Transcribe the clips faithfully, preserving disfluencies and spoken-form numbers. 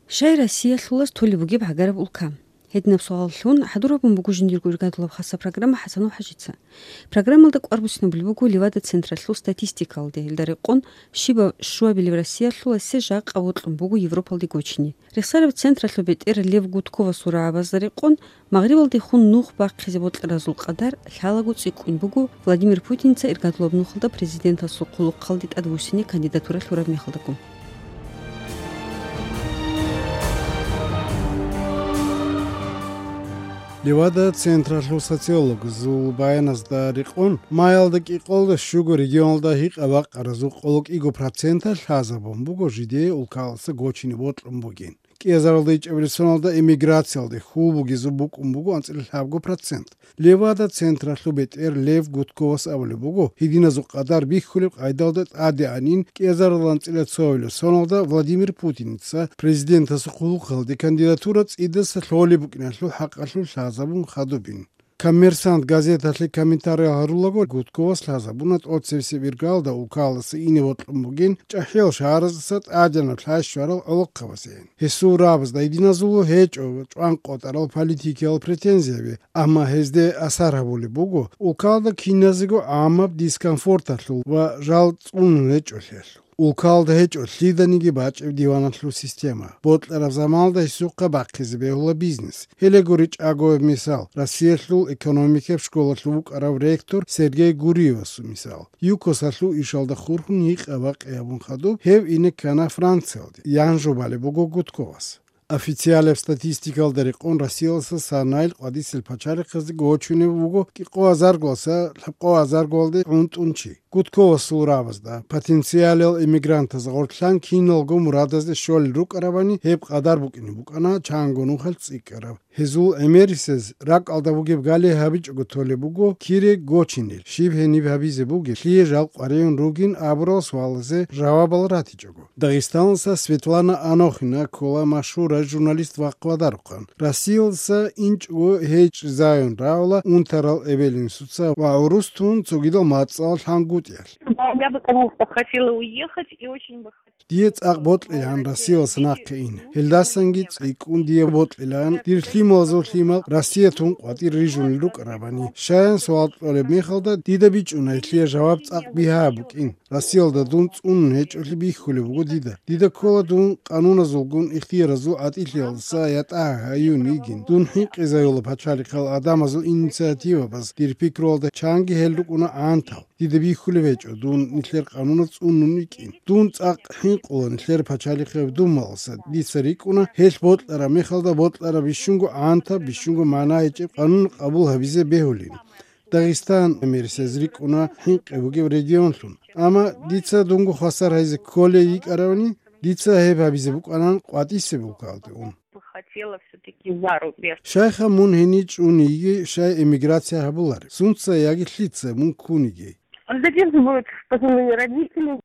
Щай Россиялъулас толеб бугеб гӀагараб улка? Гьединаб суаллъун хӀадур гьабун буго жиндирго иргадулаб хасаб программа ХӀасанул ХӀажица. Программалда кӀвар буссинабулеб буго Левада централъул статистикалде, гьелда рекъон щибаб щуабилеб Россиялъуласе жакъа бокьун буго Европалде гочине. Рехсараб централъул бетӀер Лев Гудковасул рагӀабазда рекъон, Магърибалдехун нух бахъизе бокьаразул къадар лъалаго цӀикӀкӀун буго Владимир Путинца иргадулаб нухалда президентасул хъулухъалде тӀадвуссине кандидатура лъураб мехалдаго. Левада централъул социологазул баяназда рекъон, майялда кӀикъоялда щуго регионалда гьикъа-бакъаразул къоло кӀиго проценталъ лъазабун буго жидее улкаласа гочине бокьун бугин. КӀиазаралда ичӀабилеб соналда эмиграциялде хьул бугезул букӀун буго анцӀила лъабго процент. Левада централъул бетӀер Лев Гудковас абулеб буго, гьединазул къадар бихьулеб къайдалда тӀадегӀанин кӀиазарал анцӀила цоабилеб соналда Владимир Путинца президентасул хъулухъалде кандидатура цӀидаса лъолеб букӀиналъул хӀакъалъулъ лъазабун хадубин. Коммерсант газеталъе комментарий гьарулаго, Гудковас лъазабуна тӀоцебесеб иргалда улкаласа ине бокьун бугин чӀахӀиял шагьараздаса тӀадегӀанаб лъай щварал гӀолохъабазейин. Гьесул рагӀабазда гьединазул гьечӀо чӀван къотӀарал политикиял претензияби, амма гьезде асар гьабулеб буго улкалда киназего гӀамаб дискомфорталъул ва жал цӀунун гьечӀолъиялъул. Улкалда гьечӀо лъиданиги бачӀеб диваналъул система, бокьараб заманалда гьесухъа бахъизе бегьула бизнес. Гьеле гури чӀагояб мисал, Россиялъул экономикияб школалъув вукӀарав ректор Сергей Гуриевасул мисал. ЮКОСалъул ишалда хурхун гьикъа-бакъи гьабун хадуб, гьев ине ккана Франциялде, ян жубалеб буго Гудковас. Официалаб статистикалда рекъон Россияласа санайил къватӀисел пачалихъазде гочунеб буго кӀикъоязаргоялдаса лъабкъоязаргоялде гӀунтӀун чи. Гудковасул рагӀабазда, потенциалал эмигрантаз гъорлъан киналго мурадазде щолел рукӀарабани, гьеб къадар букӀине букӀана чанго нухалъ цӀикӀкӀараб. Гьезул гӀемерисез ракӀалда бугеб гали гьабичӀого толеб буго кире гочинел, щиб гьениб гьабизе бугеб, лъие жал къваригӀун ругин абурал суалазе жавабал ратичӀого. Дагъистаналдаса Светлана Анохина ккола машгьурай журналист вахъ-вадарухъан. Россиялдаса инчӀого гьечӀ-зайун рагӀула унтарал эбел-инсуца ва гӀурус тун цогидал мацӀал лъангутӀиялъ. Да, я бы, конечно, хотела уехать и очень бы хотела. Дие цӀакъ бокьилаан Россиялдаса нахъе ин. Гьелдасанги цӀикӀкӀун дие бокьилаан, дир лъималазул лъимал Россия тун къватӀир рижунел рукӀарабани. Щаян суал кьолеб мехалда, дида бичӀчӀуна гьелъие жаваб цӀакъ бигьа букӀин. Россиялда дун цӀунун гьечӀолъи бихьулеб буго дида. Дида ккола дун къануназулгун ихтияразул гӀатӀилъиялдаса ятӀа гьаюн йигин. Дун хӀинкъизаюла пачалихъал гӀадамазул инициативабаз, дир пикруялда чанги гьел рукӀуна гӀантал. Дида бихьулеб гьечӀо дун нилъер къануназ цӀунун йикӀин. Дун цӀакъ хӀинкъула нилъер пачалихъе дун малъаса. Дица рикӀкӀуна, гьелъ бокьараб мехалда бокьараб бищунго гӀантаб, бищунго магӀна гьечӀеб къанун къабул гьабизе бегьулин. Дагъистан гӀемерисез рикӀкӀуна хӀинкъи бугеб регионлъун. Амма дица дунго хвасар гьайзе кколей йикӀаравани, дица гьеб гьабизе букӀанан къватӀисеб улкалде ун. Хотела всё-таки за рубеж. Щайха мун гьенив чӀун йиги, щай эмиграция гьабулареб? Сунца яги лъица мун ккун йиги? Он задерживает пожилые родители.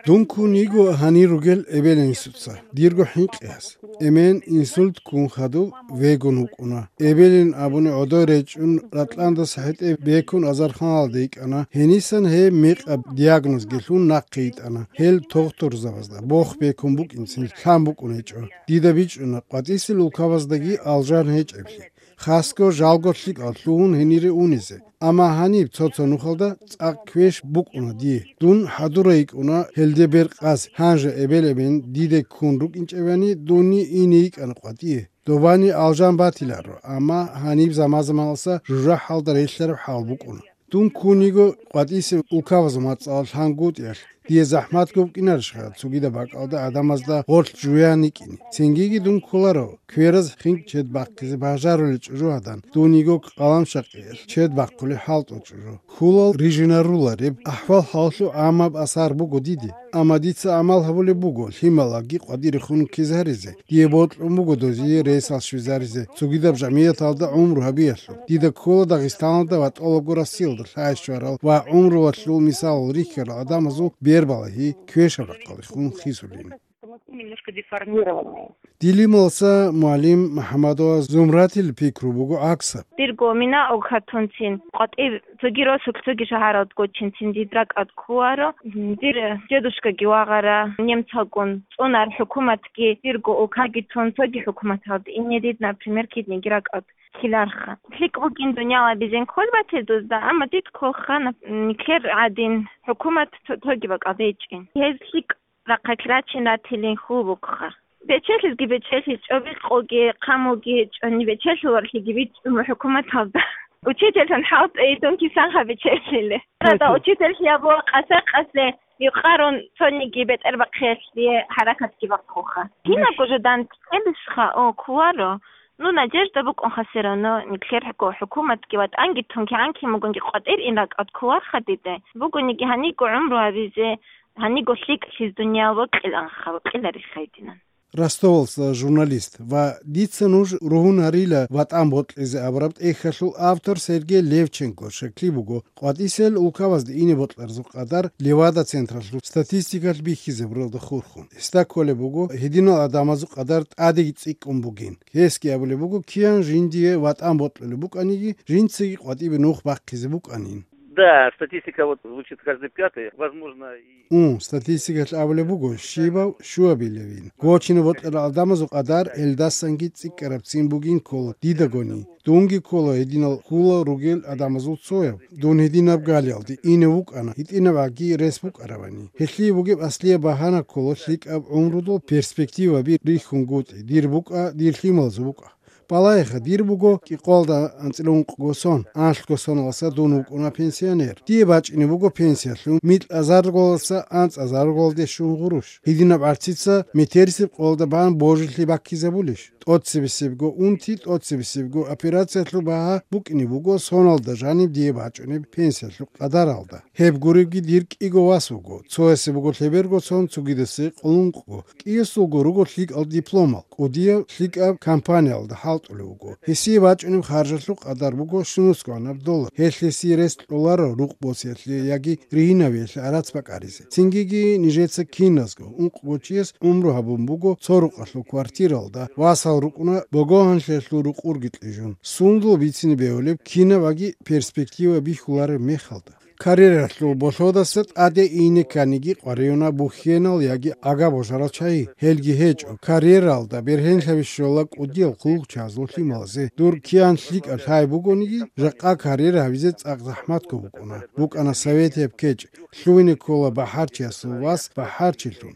Дун ккун йиго гьанир ругел эбел-инсуца, дирго хӀинкъиялъ. Эмен инсульт ккун хадуб, вегун вукӀуна. Эбелин абуни гӀодой речӀчӀун, Ратъландаса хӀетӀе бекун азарханалде йикӀана. Гьенисан гьеб мекъаб диагнозги лъун нахъе йитӀана. Гьел тухтурзабазда бох бекун букӀинцин лъан букӀун гьечӀо. Дида бичӀчӀуна къватӀисел улкабаздаги алжан гьечӀеблъи. Хасго жалго лъикӀал лъугьун гьенире унизе. Амма гьаниб цо-цо нухалда цӀакъ квеш букӀуна дие. Дун хӀадурай йикӀуна гьелде бер къаз, гьанже эбел-эмен диде ккун рукӀинчӀебани, дунни ине йикӀана къватӀие. Добани алжан батиларо, амма гьаниб заман-заманалса жужахӀалда релълъараб хӀал букӀуна. Дун ккун йиго къватӀисеб улкабазул мацӀалъ лъангутӀиялъ. Дие захӀмат гукӀинарищха цогидаб бакӀалда гӀадамазда гъорлъ жуян йикӀине? Цингиги дун кколаро, квераз хинкӀ чед бахъизе бажарулел чӀужугьадан, дун йиго къаламшакъиялъ чед бахъулеб хӀалтӀул чӀужу. Хьулал рижинарулареб ахӀвал-хӀалалъул гӀаммаб асар буго диде, амма дица гӀамал гьабулеб буго лъималаги къватӀирехун ккезе гьаризе. Дие бокьун буго дозие ресал щвезаризе, цогидаб жамигӀяталда гӀумру гьабиялъул. Дида ккола Дагъистаналда ва тӀолабго Россиялда лъай щварал ва гӀумруялъул мисалал рихьарал гӀадамазул бербалагьи квешаб рахъалдехун хисулин. Немножко деформированные. Дилималса мугӀалим МухӀаммадова Зумратил пикру буго гӀаксаб. Дирго мина огхатунцин къватӀиб цоги росулъ, цоги шагьаралд гочинцин дид ракӀад ккуаро. Дир дедушкаги вагъара немцалгун, цӀунар хӀукуматги, дирго улкаги тун, цоги хӀукуматалде ине дид, например, кидниги ракӀад ккеларха. ЛъикӀ бугин дунялабизин кколбател дузда, амма дид кколха, нап-, нилъер гӀадин хӀукумат то-, тоги бакӀал гьечӀин. Гьез лъикӀ рахъалъ рачин ратилин хьул букӀха. Бечелъизги бечелъи, чӀобил къоги, хъамулги гьечӀони, бечелъуларлъиги бичӀчӀун хӀукуматалда. Учительлъун хӀалтӀейдун кисанха бечелъиле. Рада учительлъи абула къаса-къасе юкъарун цониги бетӀербахъиялъе хӀаракатги бахъуха. Кинабго жо дандчӀебисха, о, ккуаро. Ну, надежда букӀунха все равно, нилъер хӀуку-, хӀукуматги ватӀанги тун кигӀан кин бугунги къватӀир ин ракӀад ккуарха диде. Бугониги гьаниго гӀумру гьабизе, гьаниго лъикӀлъиз дуниял бокьиланха, бокьиларихха гьединан. Ростовалъа журналист ва «Дица нуж ругьун гьарила ватӀан бокьизе» абураб тӀехьалъул автор Сергей Левченко щеклъи буго, къватӀисел улкабазде ине бокьарзухъ къадар Левада централъул статистикалъ бихьизе буралда хурхун. Гьесда кколеб буго, гьединал гӀадамазул къадар тӀадеги цӀикӀкӀун бугин. Гьесги абулеб буго, киян жиндие ватӀан бокьулеб букӀаниги, жинцаги къватӀибе нух бахъизе букӀанин. Да, статистика вот звучит каждый пятый, возможно, и Ун, статистикалъ абулеб буго, щибав щуабилевин. Гочине бокьарал гӀадамазул къадар гьелдасанги цӀикӀкӀарабцин бугин ккола дидагони. Дунги ккола гьединал хьула ругел гӀадамазул цояв. Дун гьединаб галиялде ине вукӀана, гьитӀинаб гӀаги рес букӀаравани. Гьелъие бугеб аслияб багьана ккола лъикӀаб гӀумрудул перспективаби рихьунгутӀи, дир букӀа, дир лъималазул букӀа. Балагьеха, дир буго кӀикъоялда анцӀила ункъго сон, анлъго соналдаса дун вукӀуна пенсионер. Дие бачӀине буго пенсиялъун микьазарголдаса анцӀазарголде щун гъурущ. Гьединаб гӀарцица метерисеб къоялда бан божилъи баккизабулищ? ТӀоцебесебго унти, тӀоцебесебго операциялъул багьа букӀине буго соналда жаниб дие бачӀунеб пенсиялъул къадаралда. Гьеб гуребги дир кӀиго вас вуго, цоясе буго лъеберго сон, цогидасе къулункъго, кӀиясулго руго лъикӀал дипломал, кӀудияв лъикӀаб компаниялда хӀалтӀулев вуго. Гьесие бачӀунеб харжалъул къадар буго щунусгӀанаб доллар. Гьелъ гьесие рес кьоларо рукъ босиялъе яги ригьинавиялъе гӀарац бакӀаризе. Цингиги нижеца киназго, ункъго чияс гӀумру гьабун буго цо рукъалъул квартиралда, васал рукӀуна богогьанлъиялъул рукъурги кьижун. Сундул бицине бегьулеб кинабаги перспектива бихьулареб мехалда. Карьералъул болъодаса тӀаде ине кканиги къваригӀуна бухьенал яги ага божарал чагӀи. Гьелги гьечӀо, карьералда бергьенлъаби щола кӀудиял хъулухъчагӀазул лъималазе. Дур киян лъикӀаб лъай бугониги, жакъа карьера гьабизе цӀакъ захӀматго букӀуна. БукӀана совет гьеб кечӀ, лъугьине ккола бахӀарчиясул вас бахӀарчилъун.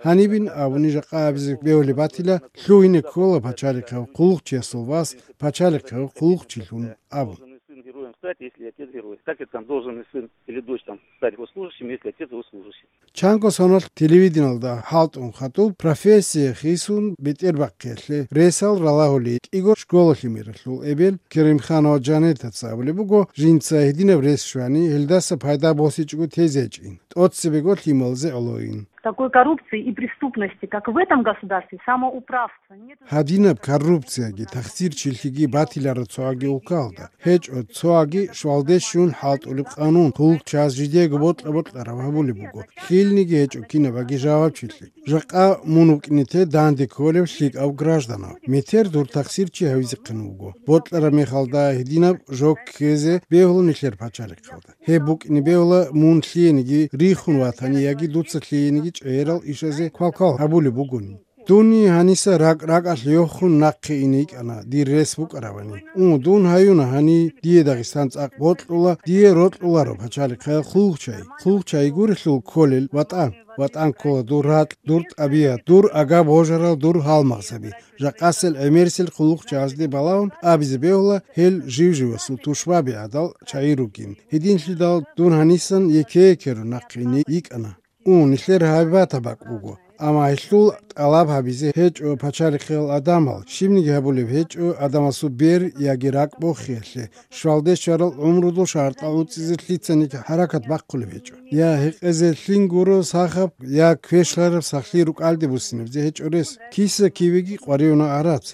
Гьанибин абуни жакъа абизе бегьулеб батила, лъугьине ккола пачалихъав хъулухъчиясул вас пачалихъав хъулухъчилъун абун. Должен сын героем стать, если отец герой. Как это там должен сын или дочь там стать госслужащим, если отец госслужащий? Чанго соналъ телевидениялда хӀалтӀун хадуб профессия хисун бетӀербахъиялъе ресал ралагьулей кӀиго школа лъимералъул эбел Керимханова Жанетаца абулеб буго, жинца гьединаб рес щвани, гьелдаса пайда босичӀого тезе гьечӀин, тӀоцебего лъималазе гӀолойин. Такой коррупции и преступности, как в этом государстве, самоуправства, нет. Гьадинаб коррупцияги тахсирчилъиги батилараб цоаги улкалда гьечӀо, цоаги щвалде щун хӀалтӀулеб къанун, хъулухъчагӀаз жидеего бокьа-бокьараб гьабулеб буго, лъилниги гьечӀо кинабаги жавабчилъи. Жакъа мун вукӀине те данде кколев лъикӀав гражданав. Метер дур тахсирчи гьавизехъин вуго. Бокьараб мехалда гьединаб жо ккезе бегьула нилъер пачалихъалда. Гьеб букӀине бегьула мун лъиениги рихун ватани яги дуца лъиениги чӀегӀерал ишазе квалквал гьабулеб бугони. Дуни гьаниса ракӀ-ракӀалъ йохун нахъе ине йикӀана, дир рес букӀаравани. У, дун гьаюна гьани, дие Дагъистан цӀакъ бокьула, дие рокьуларо пачалихъаял хъулухъчай. Хъулухъчай гурелъул кколел ватӀан. ВатӀан ккола дур ракь, дур тӀабигӀат, дур ага божарал, дур гьалмагъзаби. Жакъасел гӀемерисел хъулухъчагӀазде балагьун абизе бегьула, гьел жив-живасул тушбаби гӀадал чагӀи ругин. Гьединлъидал дун гьанисан еке-екерун нахъе ине йикӀана. У, нилъер гьабибатаб бакӀ буго. Амма гьелъул тӀалаб гьабизе гьечӀо пачалихъиял адамал, щибниги гьабулеб гьечӀо адамасул бер яги ракӀ бохиялъе, щвалде щварал гӀумрудул шартӀал уцӀизе лъицаниги хӀаракат бахъулеб гьечӀо. Я гьекъезе лъин гуро сахаб, я квешлъараб сахлъи рукӀалде буссинабизе гьечӀо рес. Киса-кивеги къваригӀуна гӀарац.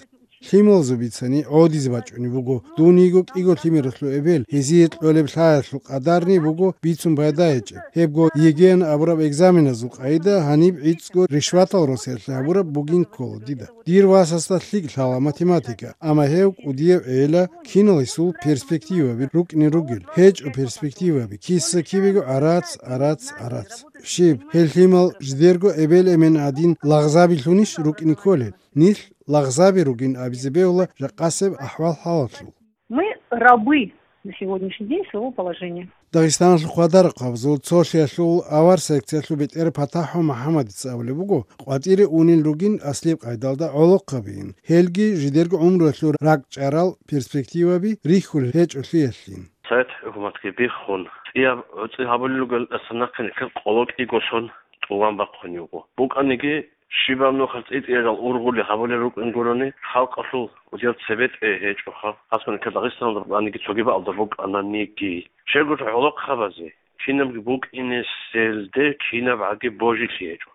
Лъималазул бицани гӀодизе бачӀунеб буго. Дун йиго кӀиго лъимералъул эбел, гьезие кьолеб лъаялъул къадарни буго бицун пайда гьечӀеб. Гьебго ЕГЭ-ян абураб экзаменазул къайда гьаниб гӀицӀго ришватал росиялъе гьабураб бугин ккола дида. Дир васасда лъикӀ лъала математика, амма гьев кӀудияв гӀела, кинал гьесул перспективаби рукӀине ругел, гьечӀо перспективаби, киса-кибего гӀарац, гӀарац, гӀарац. Щиб, гьел лъимал жидерго эбел-эмен гӀадин лагъзабилъунищ рукӀине кколел? Нилъ лагъзаби ругин абизе бегьула жакъасеб ахӀвал-хӀалалъул. Мы рабы на сегодняшний день своего положения. Дагъистаналъул хъвадарахъабазул цолъиялъул авар секциялъул бетӀер ПатахӀов МухӀаммадица абулеб буго, къватӀире унел ругин аслияб къайдалда гӀолохъабийин, гьелги жидерго гӀумруялъул ракӀчӀарал перспективаби рихьулел гьечӀолъиялъин. Совет хӀукуматги биххун, цӀияб гӀуцӀи гьабулел ругел, тӀасан нахъе нилъер къоло кӀиго сон тӀуван бахъун йиго. БукӀаниги, щибаб нухалъ цӀи-цӀиязул ургъули гьабулел рукӀин гурони, халкъалъул кӀудиял цебетӀе гьечӀоха, хасго нилъер Дагъистаналда букӀаниги, цоги бакӀалда букӀананиги. Щайгурелъул гӀолохъабазе кинабги букӀинеселде кинабгӀаги божилъи гьечӀо.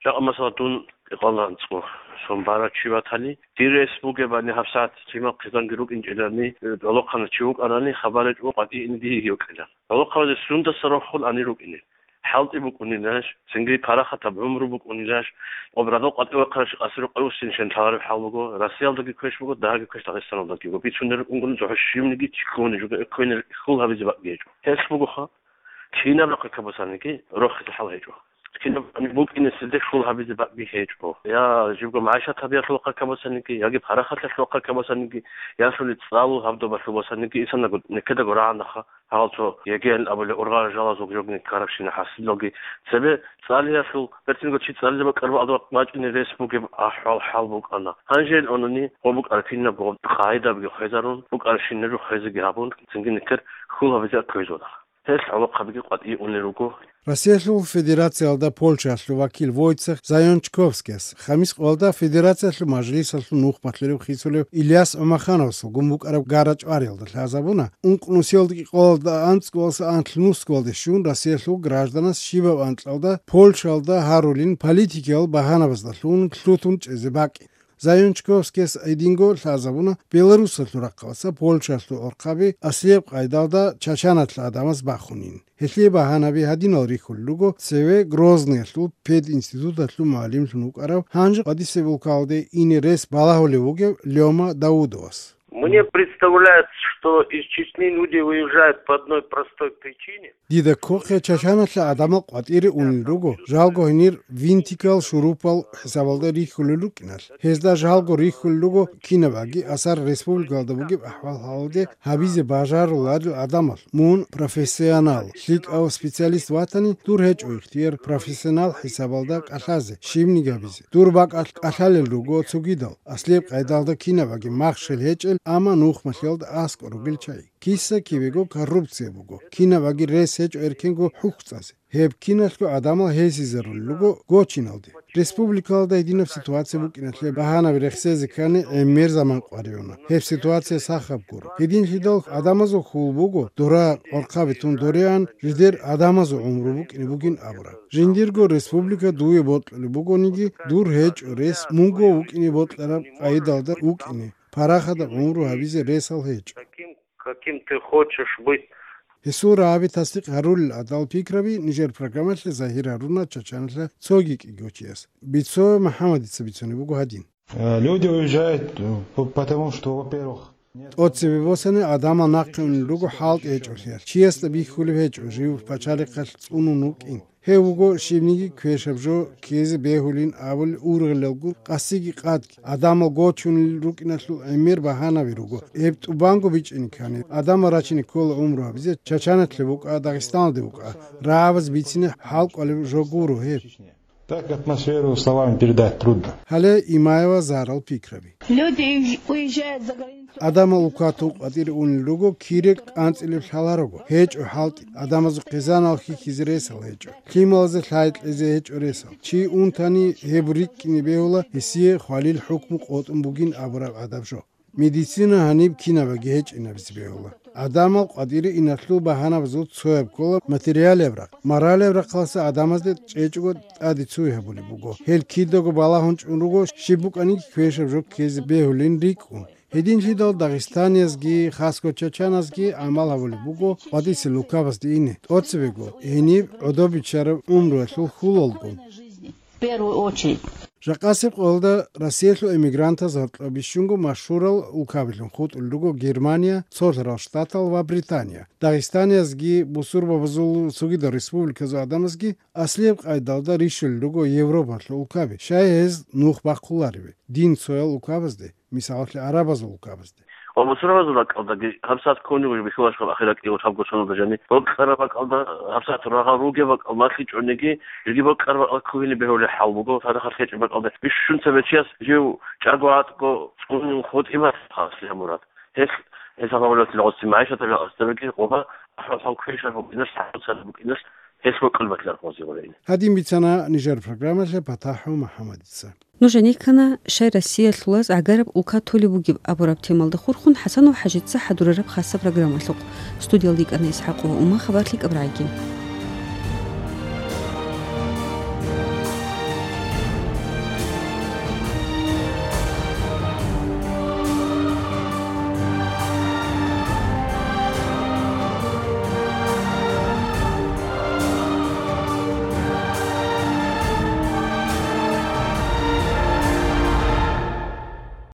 Жакъа, масала, дун кьикъоялда анцӀго сон барав чи ватани, дир рес бугебани, гьабсагӀат лъимал хъизанги рукӀинчӀелани, гӀолохъанав чи вукӀарани, хабар гьечӀо, къватӀи ине дие йикӀила. ГӀолохъабазе сундаса рохун ани рукӀине? ХӀалтӀи букӀунилаш, цинги парахатаб гӀумру букӀунилаш, къобрадал къватӀивахъарав чи къаси рукъове вуссинищан лъалареб хӀал буго, Россиялдаги квеш буго, дагьабги квеш Дагъистаналдаги буго. Бицунел рукӀунгун цохӀо щивниги чӀикӀкӀуни жуга, экквейнел хьул гьабизе бакӀги гьечӀо. Гьелъ бугоха, кинаб рахъе кабусаниги, рохизе хӀал гьечӀо. Кинаб букӀинеселде хьул гьабизе бакӀги гьечӀо. Я жибго магӀишат гьабиялъул хъа кабусаниги, яги парахаталъул хъа кабусаниги, я лъули цӀалул гьаб добалъул босаниги, инсанго некедаго рагӀанаха. Гьалцо ЕГЭ-ян абулеб ургъарал жалазул жогни ккарабщина хӀасилалги, цебе цӀалиялъул, бертинго чи цӀализе бакӀараб адаб бачӀине рес бугеб ахӀвал-хӀал букӀана. Гьанже ил унани, гъо букӀараб кинабго къагӀидабги хвезарун, букӀарабщинабги хвезеги гьабун, цинги нилъер хьул гьабизе кквезуна. Гьелъ гӀолохъабиги къватӀие унел руго. Россиялъул Федерациялда Польшаялъул вакил Войцех Зайончковскияс, Хамис къоялда Федерациялъул Мажлисалъул нухмалъурав хисулев Ильяс ГӀумахановасулгун букӀараб гара-чӀвариялда лъазабуна, ункънусиялда кӀикъоялда анцӀгоялдаса анлънусгоялде щун Россиялъул гражданас щибаб анкьалда Польшаялда гьарулин политикиял багьанабаздалъун лъутун чӀезе бакӀин. Зайончковскияс гьединго лъазабуна Беларусалъул рахъалдаса Польшаялъул гӀорхъаби аслияб къайдалда Чачаналъа гӀадамаз бахунин. Гьелъие багьанаби гьадинал рихьулел руго, цеве Грозныялъул пединституталъул мугӀалимлъун вукӀарав, гьанже къватӀисеб улкалде ине рес балагьулев вугев Лёма Даудовас. Мне представляется, что из Чечни люди выезжают по одной простой причине. Дида ккохъе, Чачаналъа гӀадамал къватӀире унел руго, жалго гьенир винтикал, шурупал хӀисабалда рихьулел рукӀиналъ. Гьезда жалго рихьулел руго кинабгӀаги асар республикалда бугеб ахӀвал-хӀалалде гьабизе бажаруларел гӀадамал. Мун профессионал, лъикӀав специалист ватани, дур гьечӀо ихтияр профессионал хӀисабалда кӀалъазе, щибниги гьабизе. Дур бакӀалъ кӀалъалел руго цогидал, аслияб къайдалда кинабгӀаги махщел гьечӀел, амма нухмалъиялда аскӀор ругел чагӀи. Киса-кибего коррупция буго, кинабгӀаги рес гьечӀо эркенго хӀухьцӀазе. Гьеб киналъго гӀадамал гьесизарулел руго гочиналде. Республикалда гьединаб ситуация букӀиналъе багьанаби рехсезе ккани гӀемер заман къваригӀуна. Гьеб ситуация сахаб гуро. Гьединлъидал гӀадамазул хьул буго, дора къорхъаби тун дореян, жидер гӀадамазул гӀумру букӀине бугин абураб. Жиндирго республика дуе бокьулеб бугониги, дур гьечӀо рес мунго вукӀине бокьараб къайдалда вукӀине, парахатаб гӀумру гьабизе ресал гьечӀо. Каким ты хочешь быть. Гьесул рагӀаби тасдикъ гьарулел гӀадал пикраби нижер программалъе загьир гьаруна Чачаналъа цоги кӀиго чияс. Бицо МухӀаммадица бицунеб буго гьадин. Э, люди уезжают, э, п-, потому что, во-первых, нет. ТӀоцебе босани гӀадамал нахъе унел руго хӀалтӀи гьечӀолъиялъ. Чиясда бихьулеб гьечӀо жив пачалихъалъ цӀунун вукӀин. Гьев вуго щибниги квешаб жо ккезе бегьулин абулел ургъелалгун къасиги къадги, гӀадамал гочунел рукӀиналъул гӀемер багьанаби руго. Гьеб тӀубанго бичӀчӀине ккани, гӀадамал рачине ккола гӀумру гьабизе, Чачаналъе букӀа, Дагъистаналде букӀа, рагӀабаз бицине хӀал кӀвалеб жо гуро гьеб. Так атмосферу словами передать трудно. Гьале Имаева Зарал пикраби. Люди уезж-, уезжают за границу. Адамал укатун къватӀире унел руго, кире кӀанцӀилеб лъаларого. ГьечӀо хӀалтӀи, адамазул хъизанал хьихьизе ресал гьечӀо. Лъималазе лъай кьезе гьечӀо ресал. Чи унтани гьеб рикӀкӀине бегьула, гьесие хвалил хӀукму къотӀун бугин абураб гӀадаб жо. Медицина гьаниб кинабаги гьечӀинабизе бегьула. ГӀадамал къватӀире иналъул багьанабазул цояб ккола материалияб рахъ. Моралияб рахъалъа гӀадамазде чӀечӀого тӀаде цуй гьабулеб буго. Гьел кидаго балагьун чӀун руго, щиб букӀаниги квешаб жо ккезе бегьулин рикӀкӀун. Гьединлъидал дагъистаниязги, хасго чачаназги гӀамал гьабулеб буго къватӀисел улкабазде ине, тӀоцебего гьениб гӀодобичараб гӀумруялъул хьулалгун. В первую очередь. Жакъасеб къоялда Россиялъул эмигрантаз гьоркьоб бищунго машгьурал улкабилъун хутӀулел руго Германия, Цолъарал Штатал ва Британия. Дагъистаниязги, бусурбабазул цогидал республиказул гӀадамазги аслияб къайдалда рищулел руго Европалъул улкаби, щай гьез нух бахъулареве, дин цоял улкабазде, мисалалъе, гӀарабазул улкабазде. Ва бусурбабазул ракӀалдаги гьабсагӀат ккун буго бихьулаш гьаб ахират кӀиго лъабго соналда жани. Бокьараб бакӀалда гьабсагӀат рагъал ругеб бакӀал малъичӀониги, жеги бокьараб бакӀал ккугьине бегьулеб хӀал буго, цадахъ лъечӀеб бакӀалда. Бищун цебе чияс жив чӀаго гӀатӀго цӀунун хутӀима хасилъа мурад. Гьелъ, гьелъ гьаб гьавулелъул гъоси магӀишаталъул гъасдабиги къоба, ахӀвал-хӀал квешаб букӀиналъ, хӀалуцараб букӀиналъ, гьелъ бокьулеб батилар гъози гъорейин. Гьадин бицана нижер программалъе ПатахӀов МухӀаммадица. Нуж гьанир ккана, щай Россиялъулаз гӀагараб улка толеб бугеб абураб темалда хурхун ХӀасанов ХӀажица хӀадурараб хасаб программалъухъ. Студиялда йикӀана ИсхӀакъова Ума, хабар лъикӀаб рагӀиги.